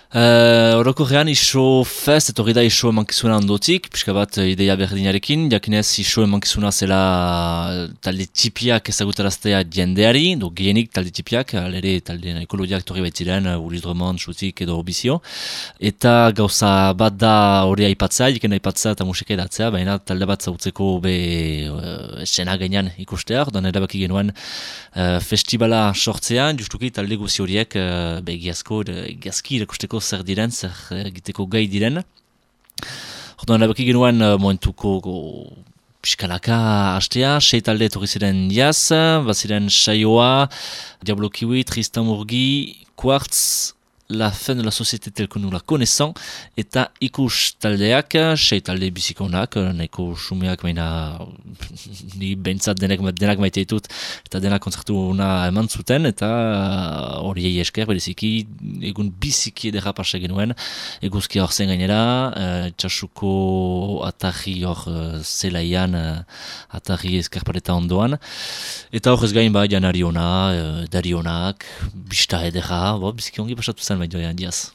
Orokorrean iso fest, etorri da iso emankizuna ondotik, pixka bat ideia berdinarekin, jakinez iso emankizuna zela talde tipiak ezagutaraztea jendeari, gehienik talde tipiak, alere talde ekologiak torri baitziren, Uliz Drummond, Xutik edo Bizio, eta gauza bat da hori aipatzea, jiken aipatzea eta musika edatzea, baina talde bat zautzeko be esena gainean ikustea, orduan erabaki genuen festivala sortzea, justuki talde guzi horiek egiazki irakusteko zer diren, zer egiteko gai diren. Orduan erabaki genuen momentuko pixkanaka hastea, 6 talde etorri ziren jaz, baziren Saioa, Diablo Kiwi, Tristan Murgi, Quartz, La fin de la société tel que nous la connaissons, eta ikus taldeak, 6 talde bizikonak, nahiko sumeak baina ni behintzat denak maite ditut, eta denak kontzertu ona eman zuten, eta horiei esker, bereziki, egun biziki edera pasa genuen, eguzkia hor zen gainera, txasuko atarri hor zelaian, atarri eskarpareta ondoan, eta hor ez gain janari ona, dari onak, bista edera, biziki ongi pasatu zen baina diaz.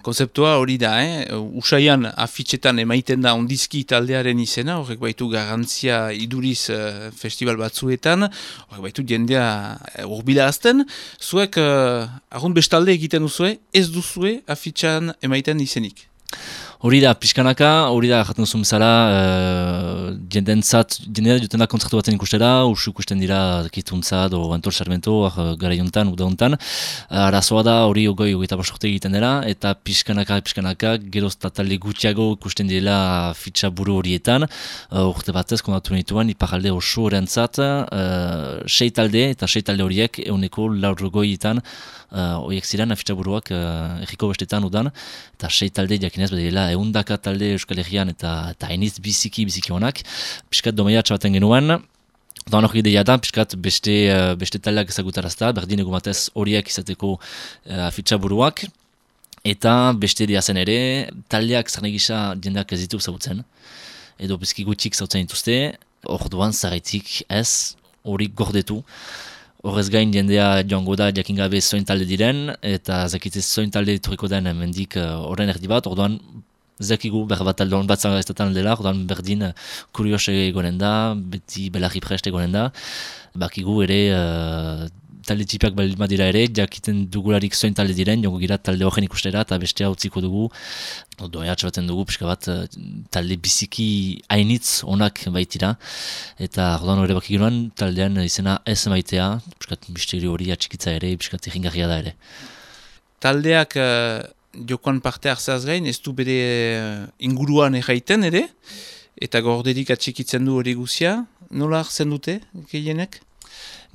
Konzeptua hori da, Usaian afitxetan emaiten da ondizki taldearen izena, horrek baitu garantzia iduriz festival batzuetan, horrek baitu jendea urbila azten, zuek arrund bestalde egiten duzue, ez duzue afitxan emaiten izenik. Hori da, pixkanaka, hori da, jaten duzun bezala, jendea juten da kontzertu batzen ikustera, usu ikusten dira kituntzat, o Antol Sarmento, gara jontan, uda hontan. Arazoa da, hori hogeita basorte egiten dela, eta pixkanaka, geroz talde gutxiago ikusten dira fitxa buru horietan. Urte batez, kondatu nituen, iparalde oso horrentzat, 6 talde, eta 6 talde horiek, euneko laurgoietan, horiek ziren, fitxa buruak erriko bestetan udan, eta 6 talde jakinez bedela, eundaka talde Euskal Herrian eta hainiz biziki honak. Piskat domaia txabaten genuen, da hori ideia da, piskat beste taldeak ezagutarazta, berdin egumatez horiek izateko afitxa buruak, eta beste diazen ere, taldeak zarnegisa jendeak ez ditu zautzen, edo bizki gutxik zautzen dituzte, orduan zaraitik ez, hori gordetu. Horrez gain jendea joango da jakingabe zoin talde diren, eta zakitez zoin talde turiko den mendik horren erdi bat, orduan zakigu bat talde hon bat zangaztetan dela, orduan berdin kurios egonen da, beti belarri prest egonen da, bakigu ere talde tipiak balima dira ere, jakiten dugularik zoin talde diren, jongo gira talde horren ikustera, eta bestea utziko dugu, doia txabaten dugu, pixka bat talde biziki hainitz onak baitira, eta orduan hori baki ginoen, taldean izena ez maitea, pixkat misteri hori atxikitza ere, pixkat irringarria da ere. Taldeak jokoan parte hartzeaz gain, ez du bere inguruan erraiten ere, eta gorderik atxikitzen du hori guzia, nola hartzen dute, gehienek?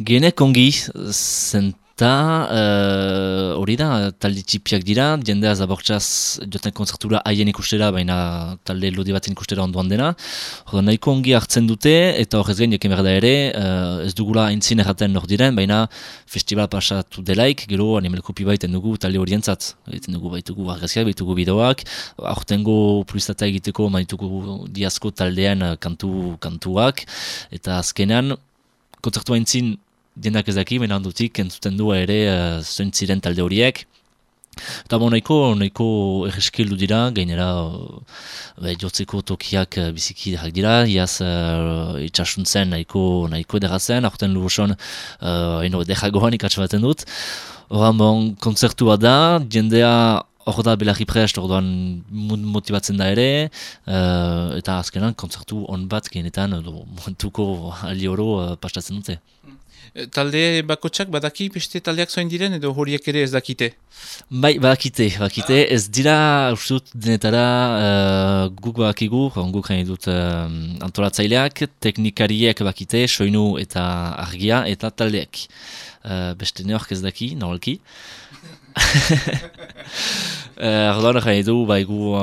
Gehienek ongi, zenta hori da, talde txipiak dira, jendea zabortxaz joten konzertura haien ikustera, baina talde lodi batzen ikustera ondoan dena. Horda nahiko ongi hartzen dute, eta horrez gain jakin behar da ere, ez dugula entzin erraten hor diren, baina festival pasatu delaik, gero animalkopi baiten dugu talde horientzat. Egiten dugu baitugu argazkiak, baitugu bideoak, aurtengo publizitatea egiteko maitugu diazko taldean kantuak, eta azkenean, kontzertua entzin diendak ezaki, baina handutik entzuten du ere zoin ziren talde horiek. Eta nahiko erreskildu dira, gainera jotzeko tokiak biziki derak dira, iaz itxasuntzen nahiko edera zen, aurten luboson deragoan ikatsabaten dut. Horan kontzertua da, jendea hor da belarri prest, orduan motibatzen da ere, eta azkenan kontzertu on bat genetan, momentuko aldi oro pastatzen dute. Talde bakotsak badaki beste taldeak zoin diren edo horiek ere ez dakite? Bai, badakite, ez dira ustut denetara guk badakigu, guk hain dut antolatzaileak, teknikariek bakite, soinu eta argia eta taldeak. Beste neork ez daki, normalki. Erdoan egin du, gu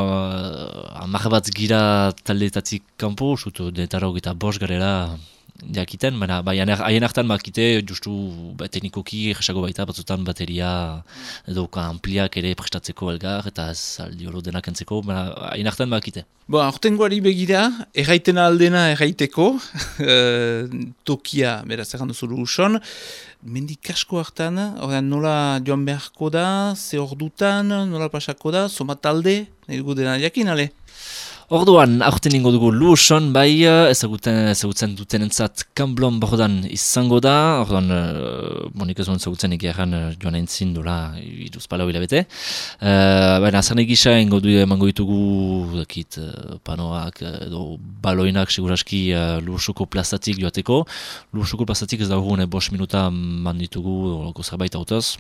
amarr bat gira taldeetatik kanpo, denetara hogeita bost garela, jakiten, baina haien hartan bakite, justu teknikoki jesago baita, batzutan bateria edo ampliak ere prestatzeko elgar, eta ez aldi oro denak entzeko, baina haien hartan bakite. Aurtengoari begira, erraiten aldena erraiteko, tokia, beraz, errandu zuru uson, mendik asko hartan, nola joan beharko da, ze ordutan, nola pasako da, somat talde, nahi dugu dena jakin, ale? Orduan, aurten ingo dugu Luoson, bai, ezagutzen dutenentzat Kamblon Bordan izango da, orduan, nik ez duen ezagutzen egiaran joan entzin dola iruzpalau hilabete. Baina, azarne gisa emango ditugu, panoak edo baloinak seguraski Luosoko plazatik joateko. Luosoko plazatik ez da hurune 5 minuta man ditugu, olako zerbait autoz.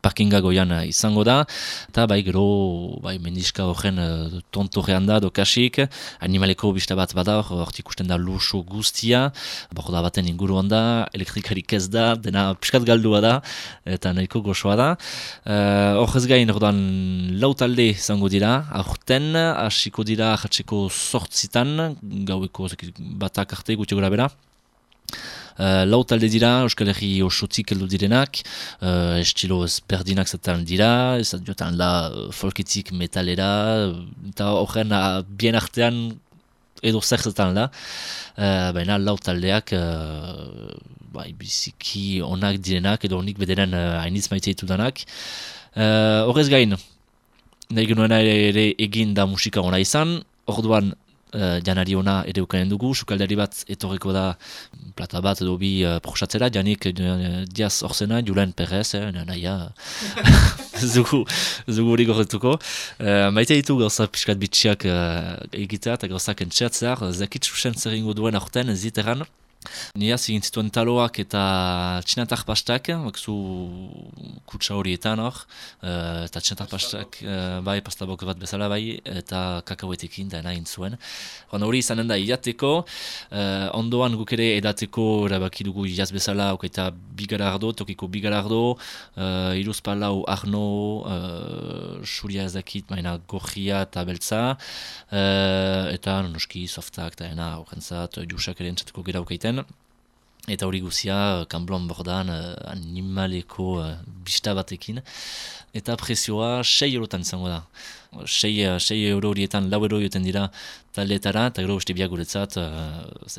Parkinga goian izango da, eta gero mendiska horren tontorrean da, dokasik, animaleko bista bat bada, hortik usten da Luoso guztia, da baten inguruan da, elektrikarik ez da, dena piskat galdua da, eta nahiko gozoa da. Horrez gain, orduan, lau talde izango dira, aurten, hasiko dira jatzeko 8 gaueko batak arte gutxi gora bera. Lau talde dira, Euskal Herri osotik heldu direnak, estilo ezberdinak zaten dira, ez jotan la folketik metalera, eta horren bien artean edo zer zaten da, baina lau taldeak biziki onak direnak, edo onik bederen hainitz maite ditudanak. Horrez gain, nahi genuena ere egin da musika ona izan, orduan janari ona ere ukanen dugu, sukaldari bat etorriko da plata bat edo bi prosatzera, janik Diaz Orzena, Julen Perez, naia, zugu hori gorretuko. Maite ditu gauza pixkat bitxiak egitea eta gauzak entxeatzear, zakit susen zer ingo duen aurten ziteran. Nia zigin zituen taloak eta txinatar pastak, bakzu kutsa horietan hor, eta txinatar pastak pastabok bat bezala eta kakauetekin da nahin zuen. Hori izanen da idateko, ondoan guk ere edateko erabaki dugu jaz bezala, okaita bigarardo, tokiko bigarardo, iruzpalau arno, suria ezakit, maina gorria eta beltza, eta noski softak eta horrentzat, jusak ere entzatuko gera okaiten. Eta hori guzia, Kamblon Bordan animaleko bista batekin. Eta prezioa 6 eurotan izango da. 6 euro horietan 4 euro joten dira taldeetara, eta gero beste biak guretzat,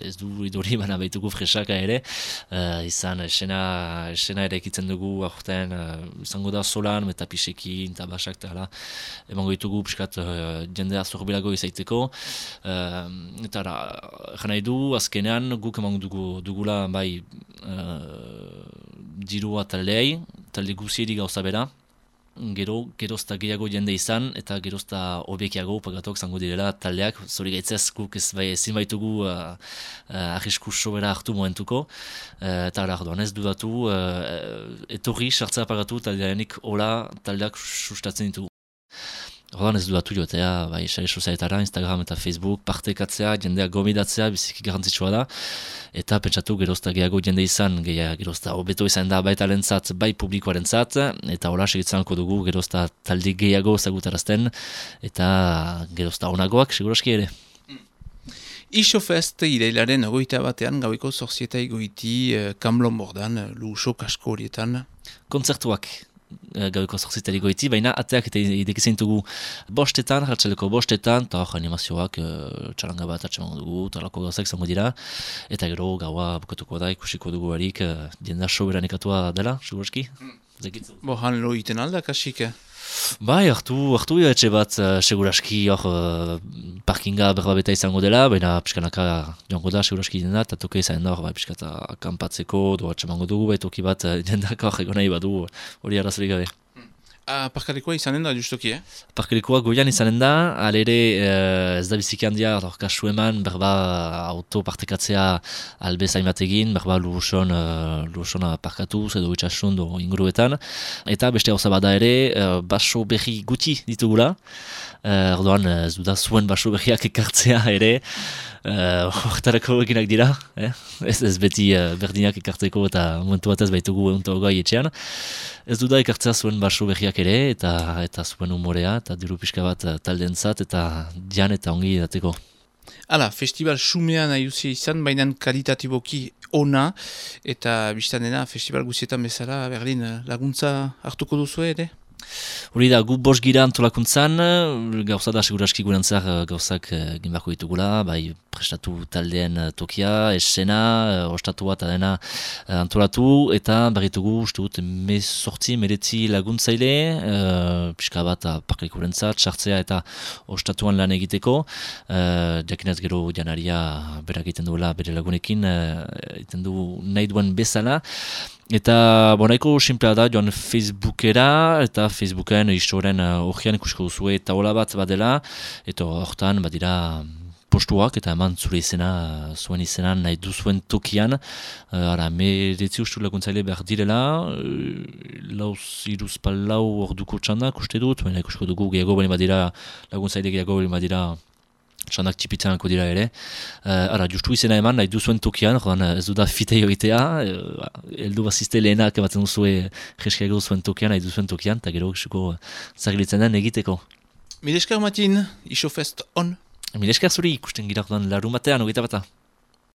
ez du idori bana baitugu fresaka ere, izan esena ere ekitzen dugu aurten, izango da solan, metapisekin, eta basak, eta hala, emango ditugu piskat jendea zorbilago izaiteko, eta jan nahi du, azkenean guk emango dugula dirua taldeei, talde guzieri gauza bera, gerozta gehiago jende izan, eta gerozta hobekiago pagatok zango direla taldeak, zori gaitzez guk ezin baitugu arrisku sobera hartu momentuko, eta arduan ez dudatu, etorri sartzea pagatu taldeanik hola taldeak sustatzen ditugu. Orduan ez dudatu joatea, sare sozialetara, Instagram eta Facebook, partekatzea, jendeak gomidatzea, biziki garrantzitsua da, eta pentsatu gerozta gehiago jende izan, gerozta hobeto izan da baita lentzat, bai publikoaren zat, eta hola segitzanko dugu gerozta talde gehiago zagutarazten, eta gerozta onagoak, seguraski ere. Isofest irailaren 21 gaueko 8 goiti Kamblon Bordan, Luoso kasko horietan. Kontzertuak. Gaueko 8 goiti, baina ateak eta idekizen dugu 5, hartzeleko 5, eta hor animazioak txalanga bat atxeman dugu, talako gauzak zango dira, eta gero gaua bukatuko da, ikusiko dugu harik, jenda soberanekatua dela, seguraski? Han lo iten alda, kasik? Hartu etxe bat seguraski hor parkinga berbabeta izango dela, baina pixkanaka joango da seguraski jenda, eta toke izan da hor pixkata akampatzeko, doa atxemango dugu, toki bat jendak hor egon nahi badu hori arrazorik gabe. Parkalikoa izanen da, justoki, Parkalikoa goian izanen da, alere ez da biziki handia, kasu eman, berba auto partekatzea albezain bat egin, berba Luosona parkatuz edo itxasun do inguruetan, eta beste hauza bada ere, baso berri guti ditugula, orduan ez duda zuen baso berriak ekartzea ere, horretarako eginak dira, ez beti berdinak ekartzeko eta momentu batez baitugu gai etxean. Ez duda ekartzea zuen baso berriak ere, eta zuen humorea, eta diru pixka bat taldeentzat, eta dian eta ongi dateko. Hala, festival xumean nahi izan, baina kalitatiboki ona, eta biztan dena, festival guzietan bezala, Berlin laguntza hartuko duzu ere? Hori da, gu bost gira antolakuntzan, gauza da seguraski gurantzak gauzak ginbako ditugula, bai prestatu taldeen tokia, esena, ostatu bat adena antolatu, eta barritugu, uste dut, meretzi laguntzaile, pixka bat parkalikurentzat, sartzea eta ostatuan lan egiteko, jakinez gero janaria berak egiten duela bere lagunekin, egiten du nahi duen bezala, eta nahiko simplea da joan Facebookera, eta Facebooken historien horrean ikusko duzue taula bat badela, eta horretan badira postuak eta eman zure izena, zuen izena nahi duzuen tokian, meretzi ustu laguntzaile behar direla, iruz palau orduko txandak uste dut, baina ikusko dugu gehiago bali badira, laguntzaile gehiago bali badira, txandak txipitzanako dira ere. Justu izena eman, nahi duzuen tokian, ez du da fitei egitea, heldu bazizte lehenak batzen duzue jeskiago zuen tokian, nahi duzuen tokian, eta gero zagilitzen den egiteko. Mileskar Matin, Isofest on? Mileskar zuri ikusten gira larun batean, 21.